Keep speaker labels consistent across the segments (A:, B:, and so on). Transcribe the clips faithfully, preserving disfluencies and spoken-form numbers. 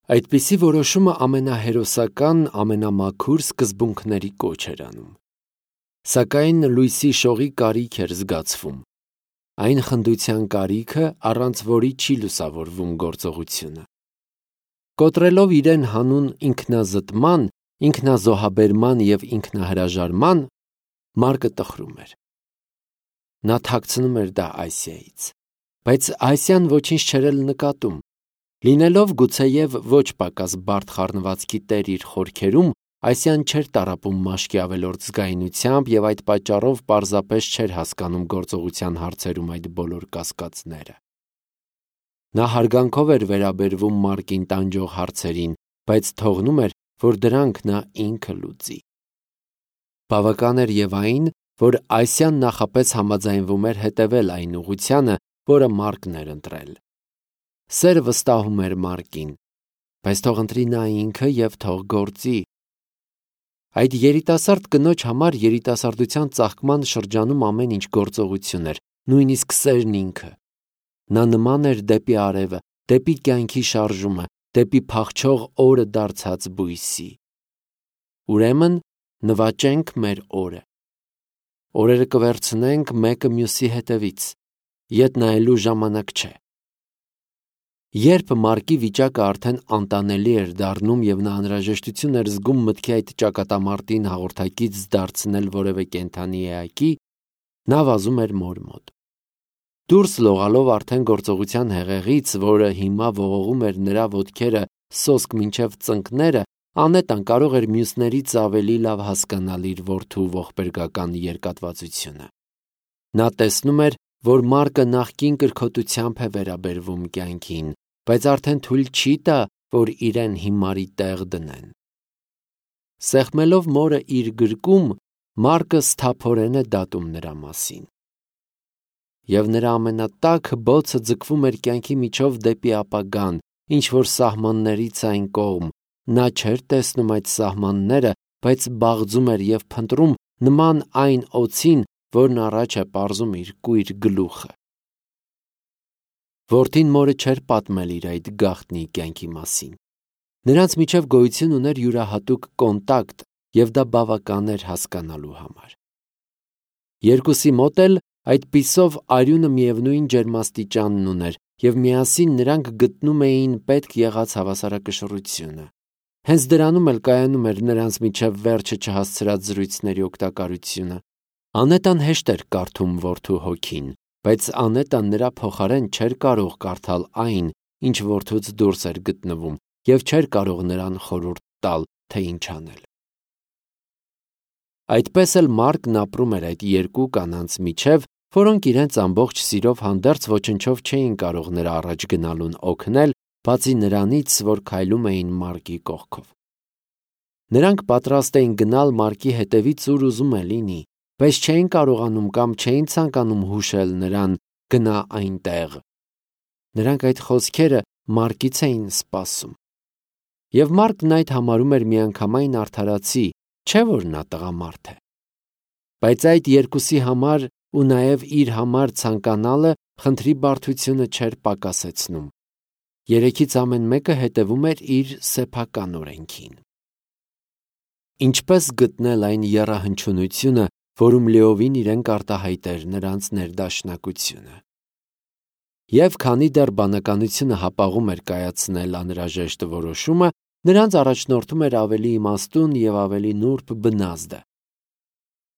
A: Այդպիսի որոշումը ամենահերոսական, ամենամաքուր սկզբունքների կոչ էր անում։ Սակայն լույսի շողի կարիք էր զգացվում, այն խնդության կարիքը, առանց որի չի լուսավորվում գործողությունը։ Կոտրելով իրեն հանուն ինքնազտման, ինքնազոհաբերման և ինքնահրաժարման, Մարկը տխրում էր։ Նա թաքցնում էր դա Ասիայից, բայց Ասիան ոչինչ չէր էլ նկատում։ Լինելով գուցեև ոչ պակաս բարդ խառնվածքի տեր իր խորքերում, Ասիան չէր տառապում մաշկի ավելորդ զգայունությամբ և այդ պատճառով պարզապես չէր հասկանում գործողության հարցերում այդ բոլոր կասկածները։ Նա հարգանքով էր վերաբերվում Մարկին տանջող հարցերին, բայց թողնում էր, որ դրանք նա ինքը լուծի։ Բավական էր և այն, որ Ասիան նախապես համաձայնվում էր հետևել այն ուղղությանը, որը Մարկն էր ընտրել։ Սերը վստահում էր Մարկին, բայց թող ընտրի նա ինքը և թող գործի։ Այդ երիտասարդ կնոջ համար երիտասարդության ծաղկման շրջանում ամեն ինչ գործողություն էր, նույնիսկ սերն ինքը։ Նա նման էր դեպի արևը, դեպի կյանքի շարժումը, դեպի փախչող օրը դարձած բույսի։ Ուրեմն նվաճենք մեր օրը։ Օրերը կվերցնենք մեկը մյուսի հետևից, ետ նայելու ժամանակ չէ։ Երբ Մարկի վիճակը արդեն անտանելի էր դառնում և նա անհրաժեշտություն էր զգում մտքի այդ ճակատամարտին հաղորդակից դարձնել որևէ կենդանի էակի, նա վազում էր մոր մոտ։ Դուրս լողալով արդեն գործողության հեղեղից, որը հիմա ողողում էր նրա ոտքերը սոսկ մինչև ծնկները, Անետան կարող էր մյուսներից ավելի լավ հասկանալ իր որդու ողբերգական երկատվածությունը։ Նա տեսնում էր, որ Մարկը նախկին կրքոտությամբ է վերաբերվում կյանքին, բայց արդեն թույլ չի տա, որ իրեն հիմարի տեղ դնեն։ Սեղմելով մորը իր գրկում, Մարկը սթափորեն է դատում նրա մասին։ Եվ նրա ամենատաք բոցը ձգվում էր կյանքի միջով դեպի ապագան, ինչ-որ սահմաններից այն կողմ։ Նա չէր տեսնում այդ սահմանները, բայց բաղձում էր և փնտրում նման այն օձին, որն առաջ է պարզում իր կույր գլուխը։ Որդին մորը չէր պատմել իր այդ գաղտնի կյանքի մասին։ Նրանց միջև գոյություն ուներ յուրահատուկ կոնտակտ, և դա բավական էր հասկանալու համար։ Երկուսի մոտ էլ այդպիսով արյունը միևնույն ջերմաստիճանն ուներ, և միասին նրանք գտնում էին պետք եղած հավասարակշռությունը։ Հենց դրանում էլ կայանում էր նրանց միջև վերջը չհասցրած զրույցների օգտակարությունը։ Անետան հեշտ էր կարդում որդու հոգին, բայց Անետան նրա փոխարեն չէր կարող կարդալ այն, ինչ որդուց դուրս էր գտնվում, և չէր կարող նրան խորհուրդ տալ, թե ինչ անել։ Այդպես էլ Մարկն ապրում էր այդ երկու կանանց միջև, որոնք իրենց ամբողջ սիրով հանդերձ ոչնչով չէին կարող նրա առաջ գնալուն օգնել, բացի նրանից, որ քայլում էին Մարկի կողքով։ Նրանք պատրաստ էին գնալ Մարկի հետևից ուր ուզում է լինի, բայց չէին կարողանում կամ չէին ցանկանում հուշել նրան «գնա այնտեղ»։ Նրանք այդ խոսքերը Մարկից էին սպասում։ Եվ Մարկն այդ համարում էր միանգամայն արդարացի, չէ՞ որ նա տղամարդ է։ Բայց այդ երկուսի համար ու նաև իր համար ցանկանալը խնդրի բարդությունը չէր պակասեցնում։ Երեքից ամեն մեկը հետևում էր իր սեփական օրենքին։ Ինչպես գտնել այն եռահնչյունությունը, որում լիովին իրեն կարտահայտեր նրանց ներդաշնակությունը։ Եվ քանի դեռ բանականությունը հապաղում էր կայացնել անհրաժեշտ որոշումը, նրանց առաջնորդում էր ավելի իմաստուն և ավելի նուրբ բնազդը։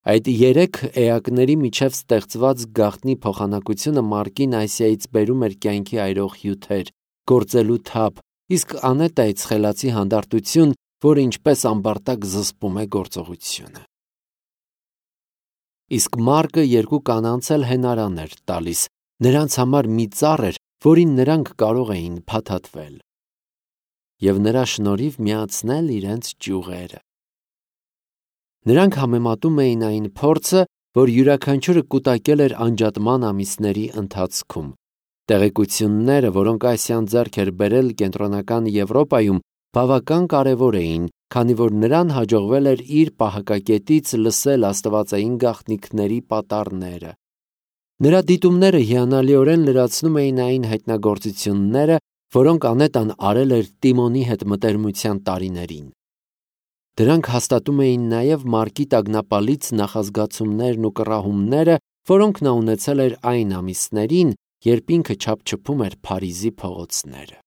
A: Այդ երեք էակների միջև ստեղծված գաղտնի փոխանակությունը Մարկին Ասիայից բերում էր կյանքի այրող հյութեր, գործելու թափ, իսկ Անետայից խելացի հանդարտություն, որը ինչպես ամբարտակ զսպում է գործողությունը։ Իսկ Մարկը երկու կանանց էլ հենարան էր տալիս, նրանց համար մի ծառ էր, որին նրանք կարող էին փաթաթվել և նրա շնորհիվ միացնել իրենց ճյուղերը։ Նրանք համեմատում էին այն փորձը, որ յուրաքանչյուրը կուտակել էր անջատման ամիսների ընթացքում։ Տեղեկությունները, որոնք Ասիան ձեռք էր բերել կենտրոնական Եվրոպայում, բավական կարևոր էին, քանի որ նրան հաջողվել էր իր պահակակետից լսել աստվածային գաղտնիքների պատառները։ Նրա դիտումները հիանալիորեն լրացնում էին այն հայտնագործությունները, որոնք Անետան արել էր Տիմոնի հետ մտերմության տարիներին։ Դրանք հաստատում էին նաև Մարկի տագնապալից նախազգացումներն ու կռահումները, որոնք նա ունեցել էր այն ամիսներին, երբ ինքը չափչփում էր Փարիզի փողոցները։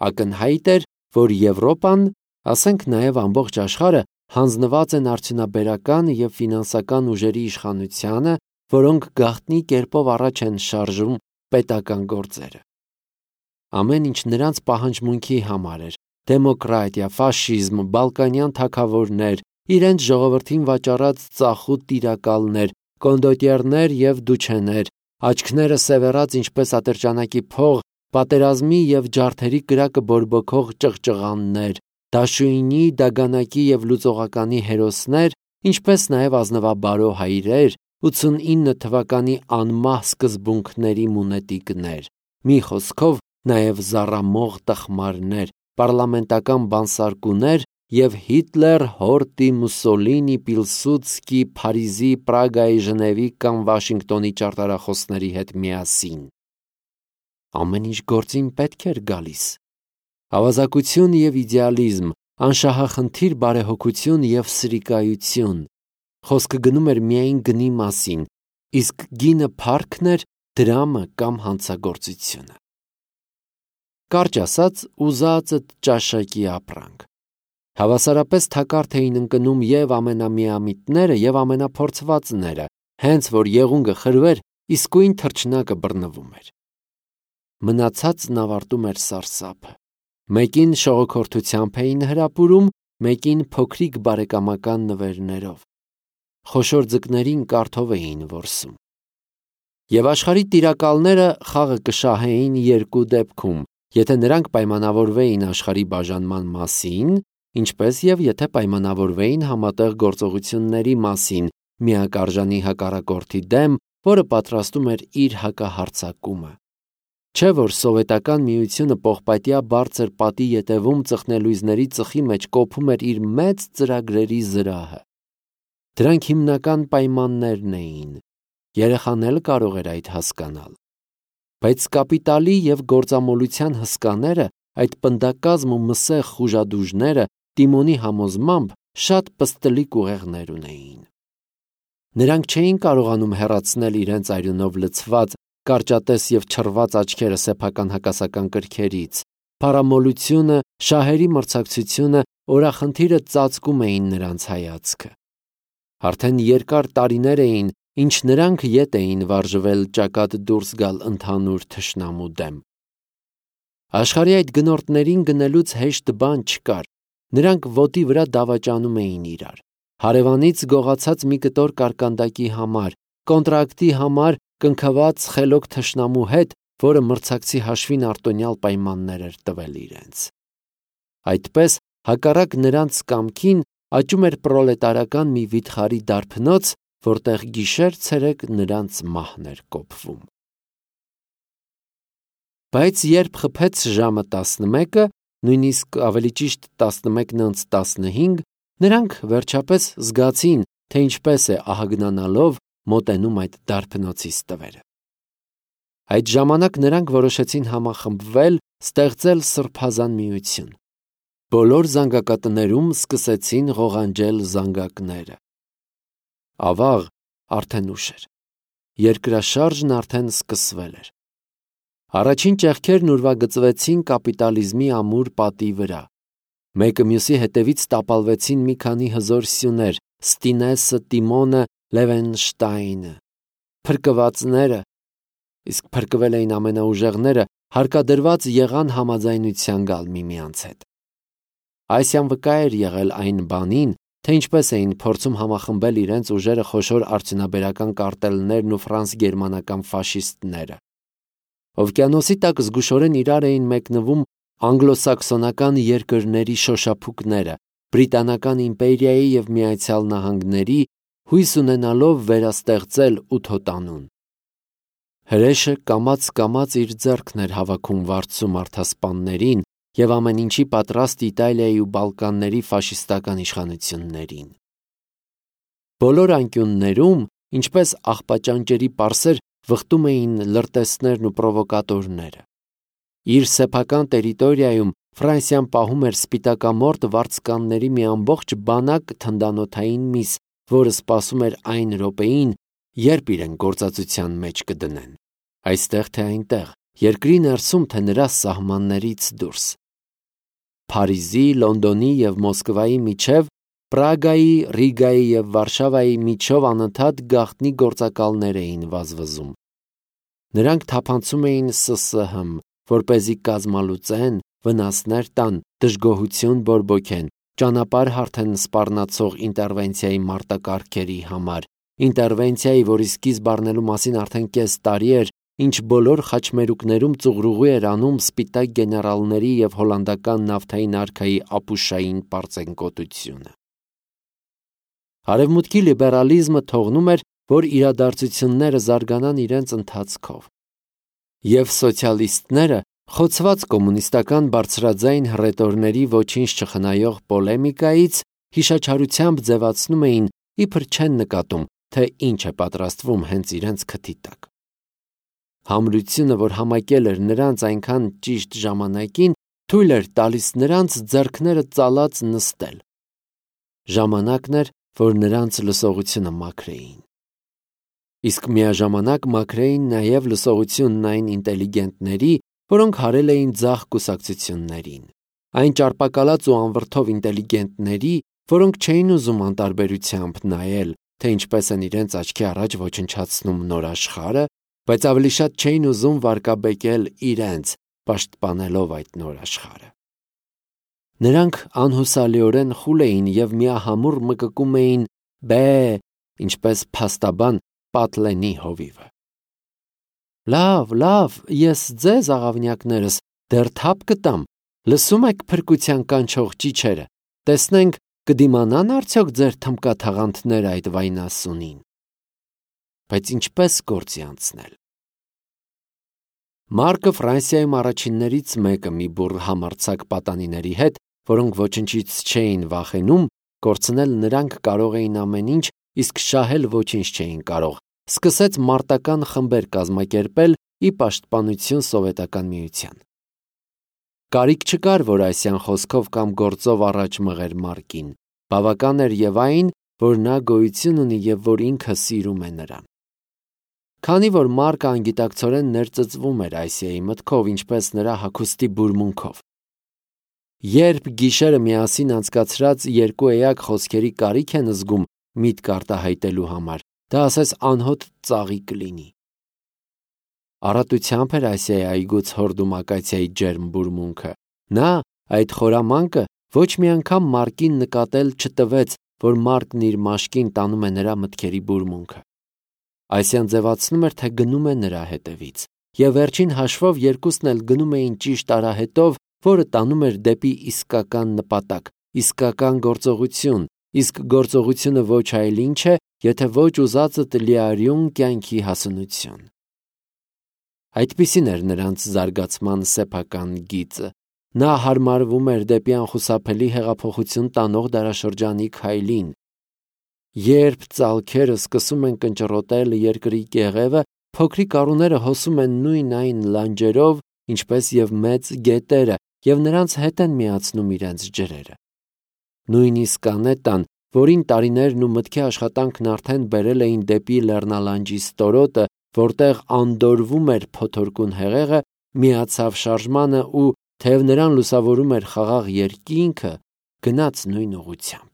A: Ակնհայտ էր, որ Եվրոպան, ասենք նաև ամբողջ աշխարհը, հանձնված են արդյունաբերական և ֆինանսական ուժերի իշխանությանը, որոնք գաղտնի կերպով առաջ են շարժում պետական գործերը։ Ամեն ինչ նրանց պահանջմունքի համար էր՝ դեմոկրատիա, ֆաշիզմ, բալկանյան թագավորներ, իրենց ժողովրդին վաճառած ծախուտ տիրակալներ, կոնդոտյերներ և դուչեներ, աչքները սևեռած ինչպես ատրճանակի փող, պատերազմի և ջարդերի կրակը բորբոքող ճղճղաններ, դաշույնի, դագանակի և լուծողականի հերոսներ, ինչպես նաև ազնվաբարո հայրեր, ութսունինը թվականի անմահ սկզբունքների մունետիկներ, մի խոսքով նաև զառամող տխմարներ, պառլամենտական բանսարկուներ և Հիտլեր, Հորտի, Մուսոլինի, Պիլսուդսկի, Փարիզի, Պրագայի, Ժնևի կամ Վաշինգտոնի ճարտարախոսների հետ միասին։ Ամեն ինչ գործին պետք էր գալիս։ Ավազակություն և իդեալիզմ, անշահախնդիր բարեհոգություն և սրիկայություն։ Խոսքը գնում էր միայն գնի մասին, իսկ գինը փառքն էր, դրամը կամ հանցագործությունը։ Կարճ ասած, ուզածդ ճաշակի ապրանք։ Հավասարապես թակարդ էին ընկնում և ամենամիամիտները, և ամենափորձվածները, հենց որ եղունգը խրվեր, իսկույն թռչնակը բռնվում էր։ Մնացածն ավարտում էր սարսափը։ Մեկին շողոքորթությամբ էին հրապուրում, մեկին փոքրիկ բարեկամական նվերներով։ Խոշոր ձկներին կարթով էին որսում։ Եվ աշխարհի տիրակալները խաղը կշահեին երկու դեպքում, եթե նրանք պայմանավորվեին աշխարհի բաժանման մասին, ինչպես և եթե պայմանավորվեին համատեղ գործողությունների մասին միակարժանի հակառակորդի դեմ, որը պատրաստում էր իր հակահարձակումը։ Չէ՞ որ Սովետական Միությունը պողպատյա բարձր պատի ետևում ծխնելույզների ծխի մեջ կոփում էր իր մեծ ծրագրերի զրահը։ Դրանք հիմնական պայմաններն էին։ Երեխան էլ կարող էր այդ հասկանալ։ Բայց կապիտալի և գործամոլության հսկաները, այդ պնդակազմ ու մսեղ խուժադուժները, Տիմոնի համոզմամբ, շատ պստլիկ ուղեղներ ունեին։ Նրանք չէին կարողանում հեռացնել իրենց արյունով լցված, կարճատես և չռված աչքերը սեփական հակասական կրքերից։ Փառամոլությունը, շահերի մրցակցությունը, օրախնդիրը ծածկում էին նրանց հայացքը։ Արդեն երկար տարիներ էին, ինչ նրանք ետ էին վարժվել ճակատ դուրս գալ ընդհանուր թշնամու դեմ։ Աշխարհի այդ գնորդներին գնելուց հեշտ բան չկար։ Նրանք ոտի վրա դավաճանում էին իրար։ Հարևանից գողացած մի կտոր կարկանդակի համար, կոնտրակտի համար կնքված խելոք թշնամու հետ, որը մրցակցի հաշվին արտոնյալ պայմաններ էր տվել իրենց։ Այդպես, հակառակ նրանց կամքին, աճում էր պրոլետարական մի վիթխարի դարբնոց, որտեղ գիշեր-ցերեկ նրանց մահն էր կոփվում։ Բայց երբ խփեց ժամը տասնմեկը, նույնիսկ ավելի ճիշտ տասնմեկն անց տասնհինգ, նրանք վերջապես զգացին, թե ինչպես է ահագնանալով մոտենում այդ դարբնոցի ստվերը։ Այդ ժամանակ նրանք որոշեցին համախմբվել, ստեղծել սրբազան միություն։ Բոլոր զանգակատներում սկսեցին ղողանջել զանգակները։ Ավաղ, արդեն ուշ էր։ Երկրաշարժն արդեն սկսվել էր։ Առաջին ճեղքերն ուրվագծվեցին կապիտալիզմի ամուր պատի վրա։ Մեկը մյուսի հետևից տապալվեցին մի քանի հզոր սյուներ՝ Ստինեսը, Տիմոնը, Լևենշտայնը։ Փրկվածները, իսկ փրկվել էին ամենաուժեղները, հարկադրված եղան համաձայնության գալ միմյանց հետ։ Ասիան վկա էր եղել այն բանին, թե ինչպես էին փորձում համախմբել իրենց ուժերը խոշոր արդյունաբերական կարտելներն ու ֆրանս-գերմանական ֆաշիստները։ Օվկիանոսի տակ զգուշորեն իրար էին մեկնվում անգլոսաքսոնական երկրների շոշափուկները, Բրիտանական իմպերիայի և Միացյալ Նահանգների, հույս ունենալով վերաստեղծել ութոտանուն։ Հրեշը կամաց-կամաց իր ձեռքն էր հավաքում վարձու մարդասպաններին և ամեն ինչի պատրաստ Իտալիայի ու Բալկանների ֆաշիստական իշխանություններին։ Բոլոր անկյուններում, ինչպես աղբաճանճերի պարսեր, վխտում էին լրտեսներն ու պրովոկատորները։ Իր սեփական տերիտորիայում Ֆրանսիան պահում էր սպիտակամորթ վարձկանների մի ամբողջ բանակ թնդանոթային միս, որը սպասում էր այն րոպեին, երբ իրեն գործածության մեջ կդնեն։ Այստեղ թե այնտեղ, երկրի ներսում թե նրա սահմաններից դուրս։ Փարիզի, Լոնդոնի և Մոսկվայի միջև, Պրագայի, Ռիգայի և Վարշավայի միջով անընդհատ գաղտնի գործակալներ էին վազվզում։ Նրանք թափանցում էին Ս Ս Հ, որպեսզի կազմալուծեն, վնասներ տան, դժգոհություն բորբոքեն, ճանապարհ հարթեն սպառնացող ինտերվենցիայի մարտակարգերի համար, ինտերվենցիայի, որի սկիզբ առնելու մասին արդեն կես տարի էր, ինչ բոլոր խաչմերուկներում ծուղրուղի էր անում սպիտակ գեներալների և հոլանդական նավթային արքայի ապուշային պարծենկոտությունը։ Արևմուտքի լիբերալիզմը թողնում էր, որ իրադարձությունները զարգանան իրենց ընթացքով։ Եվ սոցիալիստները, խոցված կոմունիստական բարձրաձայն հռետորների ոչինչ չխնայող պոլեմիկայից, հիշաչարությամբ ձևացնում էին, իբր չեն նկատում, թե ինչ է պատրաստվում հենց իրենց քթի տակ։ Համրությունը, որ համակել էր նրանց այնքան ճիշտ ժամանակին, թույլ էր տալիս նրանց ձեռքները ծալած նստել։ Ժամանակն էր, որ նրանց լսողությունը մաքրեին։ Իսկ միաժամանակ մաքրեին նաև լսողությունն այն ինտելիգենտների, որոնք հարել էին ձախ կուսակցություններին, այն ճարպակալած ու անվրդով ինտելիգենտների, որոնք չէին ուզում անտարբերությամբ նայել, թե ինչպես են իրենց աչքի առաջ ոչնչացնում նոր աշխարհը, բայց ավելի շատ չէին ուզում վարկաբեկել իրենց, պաշտպանելով այդ նոր աշխարհը։ Նրանք անհուսալիորեն խուլ էին և միահամուռ մկկում էին բե, ինչպես փաստաբան Պատլենի հովիվը։ Լավ, լավ, ես ձեզ, աղավնյակներս, դեռ թափ կտամ, լսում եք փրկության կանչող ճիչերը, տեսնենք կդիմանան արդյոք ձեր թմկաթաղանթները այդ վայնասունին։ Բայց ինչպես գործի անցնել։ Մարկը Ֆրանսիայում առաջիններից մեկը մի բուռ համարձակ պատանիների հետ, որոնք ոչնչից չէին վախենում, կորցնել նրանք կարող էին ամեն ինչ, իսկ շահել ոչինչ չէին կարող, սկսեց մարտական խմբեր կազմակերպել ի պաշտպանություն Սովետական Միության։ Կարիք չկար, որ Ասիան խոսքով կամ գործով առաջ մղեր Մարկին, բավական էր և այն, որ նա գոյություն ունի և որ ինքը սիրում է նրան։ Քանի որ Մարկը անգիտակցորեն ներծծվում էր Ասիայի մտքով, ինչպես նրա հագուստի բուրմունքով։ Երբ գիշերը միասին անցկացրած երկու էակ խոսքերի կարիք են զգում միտք արտահայտելու համար, դա ասես անհոտ ծաղի կլինի։ Առատությամբ էր Ասիայի այգուց հորդում ակացիայի ջերմ բուրմունքը։ Նա, այդ խորամանկը, ոչ մի անգամ Մարկին նկատել չտվեց, որ Մարկն իր մաշկին տանում է նրա մտքերի բուրմունքը։ Ասիան ձևացնում էր, թե գնում է նրա հետևից, և վերջին հաշվով երկուսն էլ գնում էին ճիշտ արահետով, որը տանում էր դեպի իսկական նպատակ, իսկական գործողություն, իսկ գործողությունը ոչ այլ ինչ է, եթե ոչ ուզածդ լիարյուն կյանքի հասունություն։ Այդպիսին էր նրանց զարգացման սեփական գիծը։ Նա հարմարվում էր դեպի անխուսափելի հեղափոխություն տանող դարաշրջանի քայլին։ Երբ ծալքերը սկսում են կնճռոտել երկրի կեղևը, փոքրիկ առուները հոսում են նույն այն լանջերով, ինչպես և մեծ գետերը, և նրանց հետ են միացնում իրենց ջրերը։ Նույնիսկ անետան, որին տարիներն ու մտքի աշխատանքն արդեն բերել էին դեպի լեռնալանջի ստորոտը, որտեղ անդորվում էր փոթորկուն հեղեղը, միացավ շարժմանը ու, թեև նրան լուսավորում էր խաղաղ երկինքը, գնաց նույն ուղղությամբ։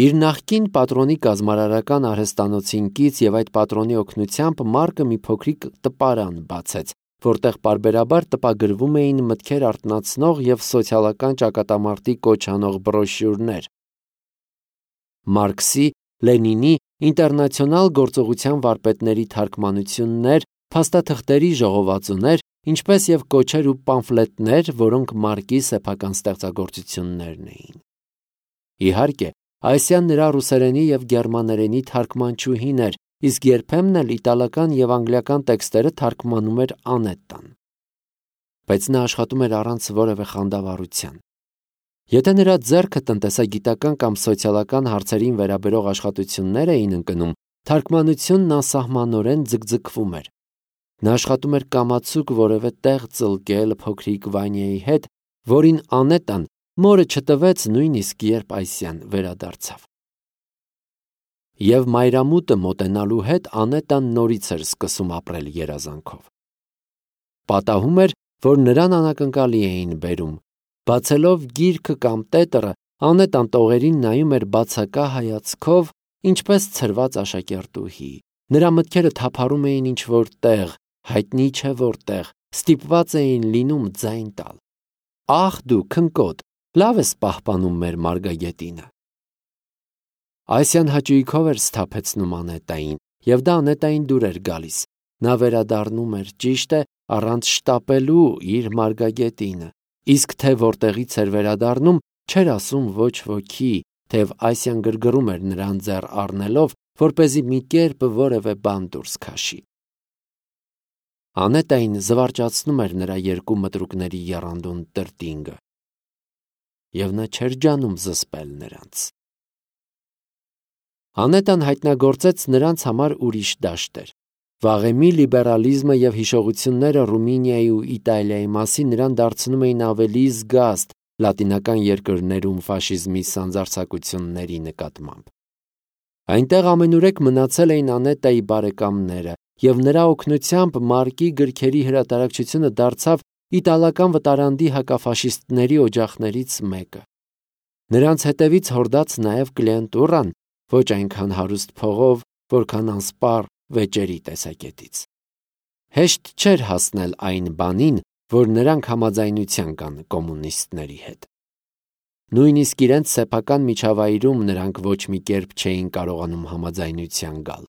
A: Իր նախկին պատրոնի կազմարարական արհեստանոցին կից և այդ պատրոնի օգնությամբ Մարկը մի փոքրիկ տպարան բացեց, որտեղ պարբերաբար տպագրվում էին մտքեր արթնացնող և սոցիալական ճակատամարտի կոչ անող բրոշյուրներ։ Մարքսի, Լենինի, ինտերնացիոնալ գործողության վարպետների թարգմանություններ, փաստաթղթերի ժողովածուներ, ինչպես և կոչեր ու պամֆլետներ, որոնք Մարկի սեփական ստեղծագործություններն էին։ Իհարկե, Ասիան նրա ռուսերենի և գերմաներենի թարգմանչուհին էր, իսկ երբեմն էլ իտալական և անգլիական տեքստերը թարգմանում էր անետան։ Բայց նա աշխատում էր առանց որևէ խանդավառության։ Եթե նրա ձեռքը տնտեսագիտական կամ սոցիալական հարցերին վերաբերող աշխատություններ էին ընկնում, թարգմանությունն անսահմանորեն ձգձգվում էր։ Նա աշխատում էր կամացուկ որևէ տեղ ծլկել փոքրիկ Վանյայի հետ, որին Անետան մորը չտվեց նույնիսկ երբ Այսիան վերադարձավ։ Եվ մայրամուտը մոտենալու հետ Անետան նորից էր սկսում ապրել երազանքով։ Պատահում էր, որ նրան անակնկալի էին բերում։ Բացելով գիրքը կամ տետրը, Անետան տողերին նայում էր բացակա հայացքով, ինչպես ցրված աշակերտուհի։ Նրա մտքերը թափառում էին ինչ-որ տեղ, հայտնի չէ որտեղ, ստիպված էին լինում ձայն տալ։ Ախ դու քնկոտ, լավ ես պահպանում մեր մարգագետինը։ Այսիան հաճույքով էր սթափեցնում Անետային, և դա Անետային դուր էր գալիս։ Նա վերադառնում էր, ճիշտ է, առանց շտապելու իր մարգագետինը, իսկ թե որտեղից էր վերադառնում, չէր ասում ոչ ոքի, թեև Այսիան գրգռում էր նրան ձեռ առնելով, որպեսզի մի կերպ որևէ բան դուրս քաշի։ Անետային զվարճացնում էր նրա երկու մտրուկների եռանդուն տրտինգը, և նա չէր ջանում զսպել նրանց։ Անետան հայտնագործեց նրանց համար ուրիշ դաշտեր։ Վաղեմի լիբերալիզմը և հիշողությունները Ռումինիայի ու Իտալիայի մասին նրան դարձնում էին ավելի զգաստ լատինական երկրներում ֆաշիզմի սանձարձակությունների նկատմամբ։ Այնտեղ ամենուրեք մնացել էին Անետայի բարեկամները, և նրա օգնությամբ Մարկի գրքերի հրատարակչությունը դարձավ իտալական վտարանդի հակաֆաշիստների օջախներից մեկը։ Նրանց հետևից հորդաց նաև կլիենտուրան, ոչ այնքան հարուստ փողով, որքան անսպառ վեճերի տեսակետից։ Հեշտ չէր հասնել այն բանին, որ նրանք համաձայնության կան կոմունիստների հետ։ Նույնիսկ իրենց սեփական միջավայրում նրանք ոչ մի կերպ չէին կարողանում համաձայնության գալ։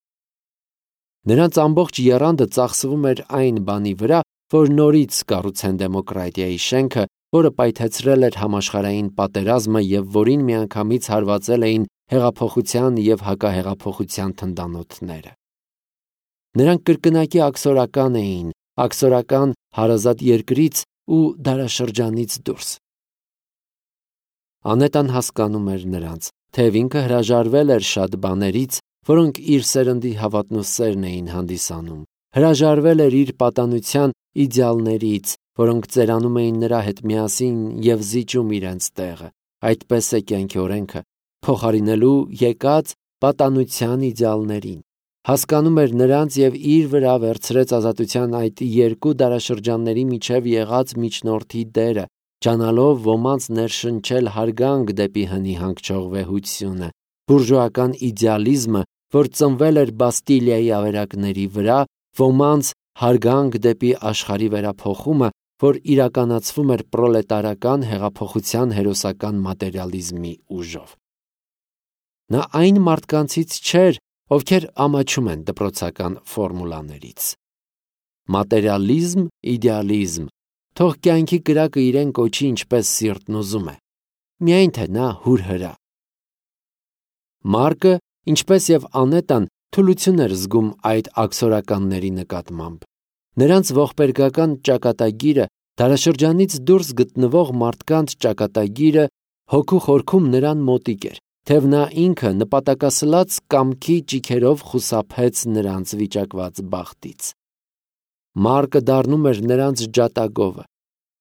A: Նրանց ամբողջ եռանդը ծախսվում էր այն բանի վրա, որ նորից կառուցեն դեմոկրատիայի շենքը, որը պայթեցրել էր համաշխարհային պատերազմը և որին միանգամից հարվածել էին հեղափոխության և հակահեղափոխության թնդանոթները։ Նրանք կրկնակի աքսորական էին, աքսորական հարազատ երկրից ու դարաշրջանից դուրս։ Անետան հասկանում էր նրանց, թեև ինքը հրաժարվել էր շատ բաներից, որոնք իր սերնդի հավատնոսերն էին հանդիսանում, հրաժարվել էր իր պատանության իդեալներից, որոնք ծերանում էին նրա հետ միասին և զիջում իրենց տեղը, այդպես է կյանքի օրենքը, փոխարինելու եկած պատանության իդեալներին։ Հասկանում էր նրանց և իր վրա վերցրեց ազատության այդ երկու դարաշրջանների միջև եղած միջնորդի դերը, ջանալով ոմանց ներշնչել հարգանք դեպի հնի հանգչող վեհությունը, բուրժուական իդեալիզմը, որ ծնվել էր Բաստիլիայի ավերակների վրա, ոմանց հարգանք դեպի աշխարհի վերափոխումը, որ իրականացվում էր պրոլետարական հեղափոխության հերոսական մատերիալիզմի ուժով։ Նա այն մարդկանցից չէր, ովքեր ամաչում են դպրոցական ֆորմուլաներից։ Մատերիալիզմ, իդեալիզմ, թող կյանքի կրակը իրեն կոչի ինչպես սիրտն ուզում է, միայն թե նա հուրհրա։ Մարկը, ինչպես և Անետան, թուլություն էր զգում այդ աքսորականների նկատմամբ։ Նրանց ողբերգական ճակատագիրը, դարաշրջանից դուրս գտնվող մարդկանց ճակատագիրը հոգու խորքում նրան մոտիկ էր, թեև նա ինքը նպատակասլաց կամքի ճիգերով խուսափեց նրանց վիճակված բախտից։ Մարկը դառնում էր նրանց ջատագովը։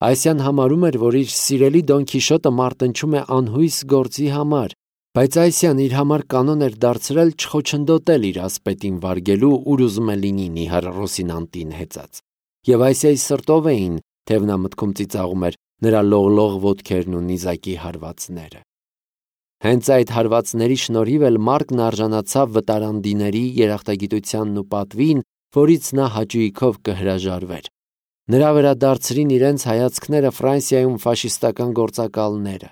A: Այսիան համարում էր, որ իր սիրելի Դոն Քիշոտը մարտնչում է անհույս գործի համար, բայց Այսիան իր համար կանոն էր դարձրել չխոչընդոտել իր ասպետին վարգելու, ուր ուզում է լինի նիհար Ռոսինանտին հեծած։ Եվ Այսիայի սրտով էին, թեև նա մտքում ծիծաղում էր, նրա լողլող ոտքերն ու նիզակի հարվածները։ Հենց այդ հարվածների շնորհիվ էլ Մարկն արժանացավ վտարանդիների երախտագիտությանն ու պատվին, որից նա հաճույքով կհրաժարվեր։ Նրա վրա դարձրին իրենց հայացքները Ֆրանսիայում ֆաշիստական գործակալները։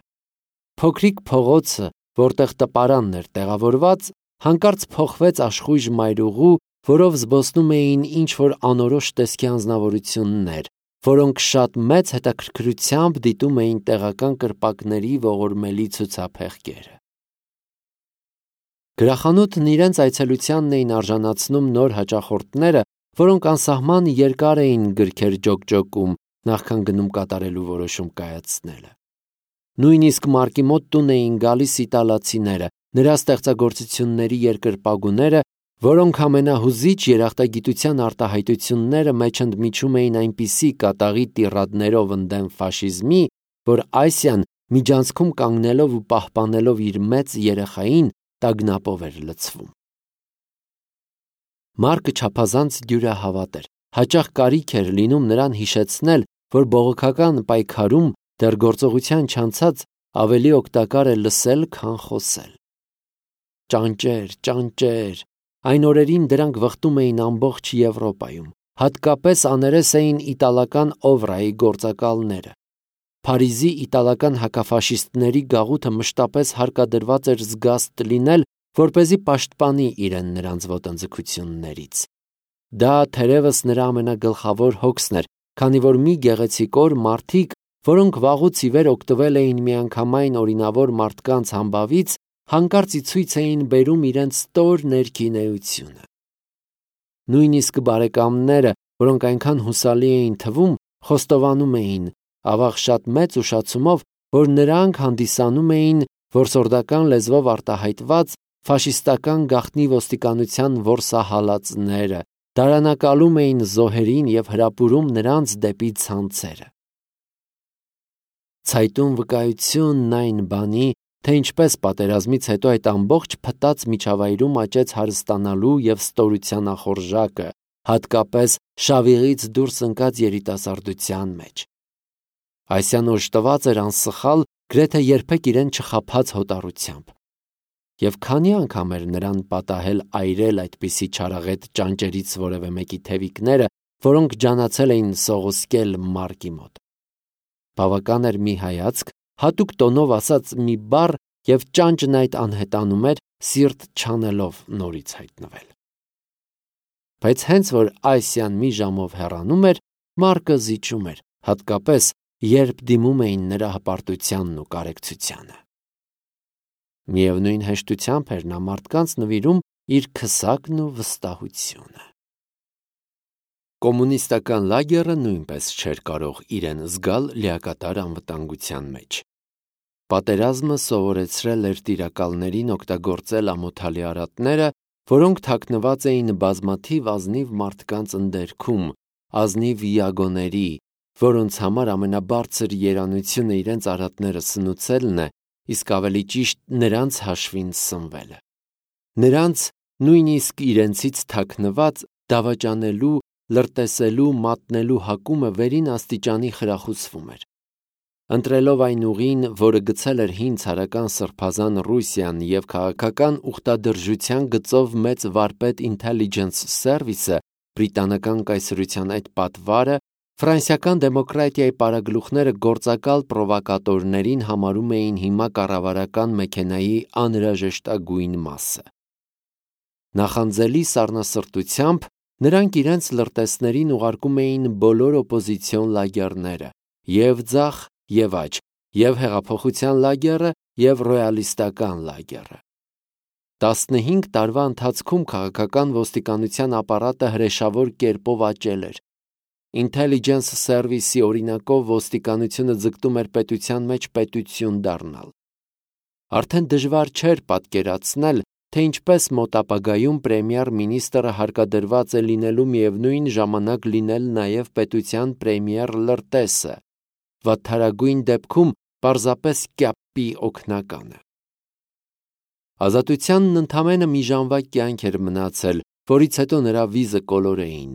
A: Փոքրիկ փողոցը, որտեղ տպարանն էր տեղավորված, հանկարծ փոխվեց աշխույժ մայրուղու, որով զբոսնում էին ինչ-որ անորոշ տեսքի անձնավորություններ, որոնք շատ մեծ հետաքրքրությամբ դիտում էին տեղական կրպակների ողորմելի ցուցափեղկերը։ Գրախանութն իրենց այցելությանն էին արժանացնում նոր հաճախորդները, որոնք անսահման երկար էին գրքեր ջոկջոկում, նախքան գնում կատարելու որոշում կայացնելը։ Նույնիսկ Մարկի մոտ տուն էին գալիս իտալացիները, նրա ստեղծագործությունների երկրպագուները, որոնք ամենահուզիչ երախտագիտության արտահայտությունները մեջ ընդմիջում էին այնպիսի կատաղի տիրադներով ընդդեմ ֆաշիզմի, որ Ասիան միջանցքում կանգնելով ու պահպանելով իր մեծ երեխային տագնապով էր լցվում։ Մարկը չափազանց դյուրահավատ էր, հաճախ կարիք էր լինում նրան հիշեցնել, որ բողոքական պայքարում դեռ գործողության չանցած ավելի օգտակար է լսել, քան խոսել։ Ճանճեր, ճանճեր, այն օրերին դրանք վխտում էին ամբողջ Եվրոպայում, հատկապես աներես էին իտալական Օվրայի գործակալները։ Փարիզի իտալական հակաֆաշիստների գաղութը մշտապես հարկադրված էր զգաստ լինել, որպեսզի պաշտպանի իրեն նրանց ոտնձգություններից։ Դա թերևս նրա ամենագլխավոր հոգսն էր, քանի որ մի գեղեցիկ օր մարդիկ, որոնք վաղուց ի վեր օգտվել էին միանգամայն օրինավոր մարդկանց համբավից, հանկարծ ի ցույց էին բերում իրենց ստոր ներքին էությունը։ Նույնիսկ բարեկամները, որոնք այնքան հուսալի էին թվում, խոստովանում էին, ավաղ շատ մեծ ուշացումով, որ նրանք հանդիսանում էին որսորդական լեզվով արտահայտված ֆաշիստական գաղտնի ոստիկանության որսահալածները, դարանակալում էին զոհերին և հրապուրում նրանց դեպի ցանցերը։ Ցայտուն վկայությունն այն բանի, թե ինչպես պատերազմից հետո այդ ամբողջ փտած միջավայրում աճեց հարստանալու և ստորության ախորժակը, հատկապես շավիղից դուրս ընկած երիտասարդության մեջ։ Ասիան օժտված էր անսխալ, գրեթե երբեք իրեն չխաբած հոտառությամբ։ Եվ քանի անգամ էր նրան պատահել այրել այդպիսի չարաղետ ճանճերից որևէ մեկի թևիկները, որոնք ջանացել էին սողոսկել Մարկի մոտ։ Բավական էր մի հայացք, հատուկ տոնով ասած մի բառ, և ճանճն այդ անհետանում էր, սիրտ չանելով նորից հայտնվել։ Բայց հենց որ Ասիան մի ժամով հեռանում էր, Մարկը զիջում էր, հատկապես երբ դիմում էին նրա հպարտությանն ու կարեկցությանը։ Միևնույն հեշտությամբ էր նա մարդկանց նվիրում իր քսակն ու վստահությունը։ Կոմունիստական լագերը նույնպես չէր կարող իրեն զգալ լիակատար անվտանգության մեջ։ Պատերազմը սովորեցրել էր տիրակալներին օգտագործել ամոթալի արատները, որոնք թաքնված էին բազմաթիվ ազնիվ մարդկանց ընդերքում, ազնիվ յագոների, որոնց համար ամենաբարձր երանությունը իրենց արատները սնուցելն է, իսկ ավելի ճիշտ նրանց հաշվին սնվելը։ Նրանց նույնիսկ իրենցից թաքնված դավաճանելու, լրտեսելու, մատնելու հակումը վերին աստիճանի խրախուսվում էր։ Ընտրելով այն ուղին, որը գցել էր հին ցարական սրբազան Ռուսիան և քաղաքական ուխտադրժության գծով մեծ վարպետ Intelligence Service-ը, բրիտանական կայսրության այդ պատվարը, ֆրանսիական դեմոկրատիայի պարագլուխները գործակալ պրովոկատորներին համարում էին հիմա կառավարական մեքենայի անհրաժեշտագույն մասը։ Նախանձելի սառնասրտությամբ նրանք իրենց լրտեսներին ուղարկում էին բոլոր օպոզիցիոն լագերները, և ձախ, և աջ, և հեղափոխության լագերը, և ռոյալիստական լագերը։ Տասնհինգ տարվա ընթացքում քաղաքական ոստիկանության ապարատը հրեշավոր կերպով աճել էր։ Intelligence Service-ի օրինակով ոստիկանությունը ձգտում էր պետության մեջ պետություն դառնալ։ Արդեն դժվար չէր պատկերացնել, թե ինչպես մոտ ապագայում պրեմիեր-մինիստրը հարկադրված է լինելու միևնույն ժամանակ լինել նաև պետության պրեմիեր լրտեսը, վատթարագույն դեպքում պարզապես կապի օգնականը։ Ազատությանն ընդամենը մի ժամվա կյանք էր մնացել, որից հետո նրա վիզը կոլորեին։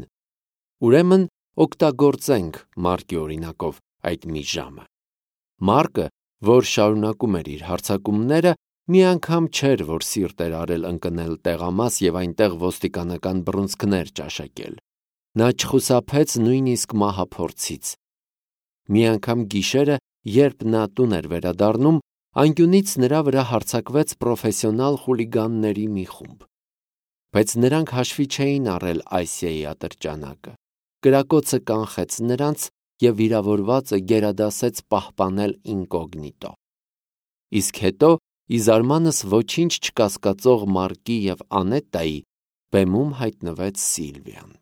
A: Ուրեմն օգտագործենք Մարկի օրինակով այդ մի ժամը։ Մարկը, որ շարունակում էր իր հարձակումները, մի անգամ չէր, որ սիրտ էր արել ընկնել տեղամաս և այնտեղ ոստիկանական բռունցքներ ճաշակել։ Նա չխուսափեց նույնիսկ մահափորձից։ Մի անգամ գիշերը, երբ նա տուն էր վերադառնում, անկյունից նրա վրա հարձակվեց պրոֆեսիոնալ խուլիգանների մի խումբ։ Բայց նրանք հաշվի չէին առել Ասիայի ատրճանակը։ Կրակոցը կանխեց նրանց, և վիրավորվածը գերադասեց պահպանել ինկոգնիտո։ Իսկ հետո, ի զարմանս ոչինչ չկասկածող Մարկի և Անետտայի, բեմում հայտնվեց Սիլվիան։